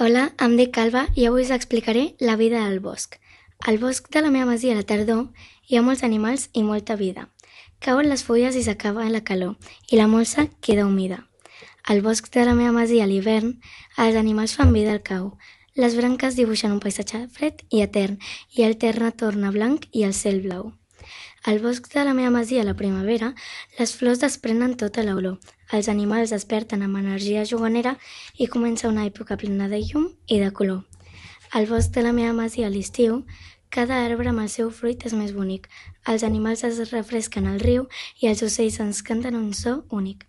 Hola, em dic Alba i avui us explicaré la vida al bosc. Al bosc de la meva masia a la tardor hi ha molts animals i molta vida. Cauen les fulles i s'acaba la calor i la molsa queda humida. Al bosc de la meva masia a l'hivern els animals fan vida al cau. Les branques dibuixen un paisatge fred i etern i el terra torna blanc i el cel blau. Al bosc de la meva masia a la primavera, les flors desprenen tota l'olor. Els animals desperten amb energia juganera i comença una època plena de llum i de color. Al bosc de la meva masia a l'estiu, cada arbre amb el seu fruit és més bonic. Els animals es refresquen al riu i els ocells ens canten un so únic.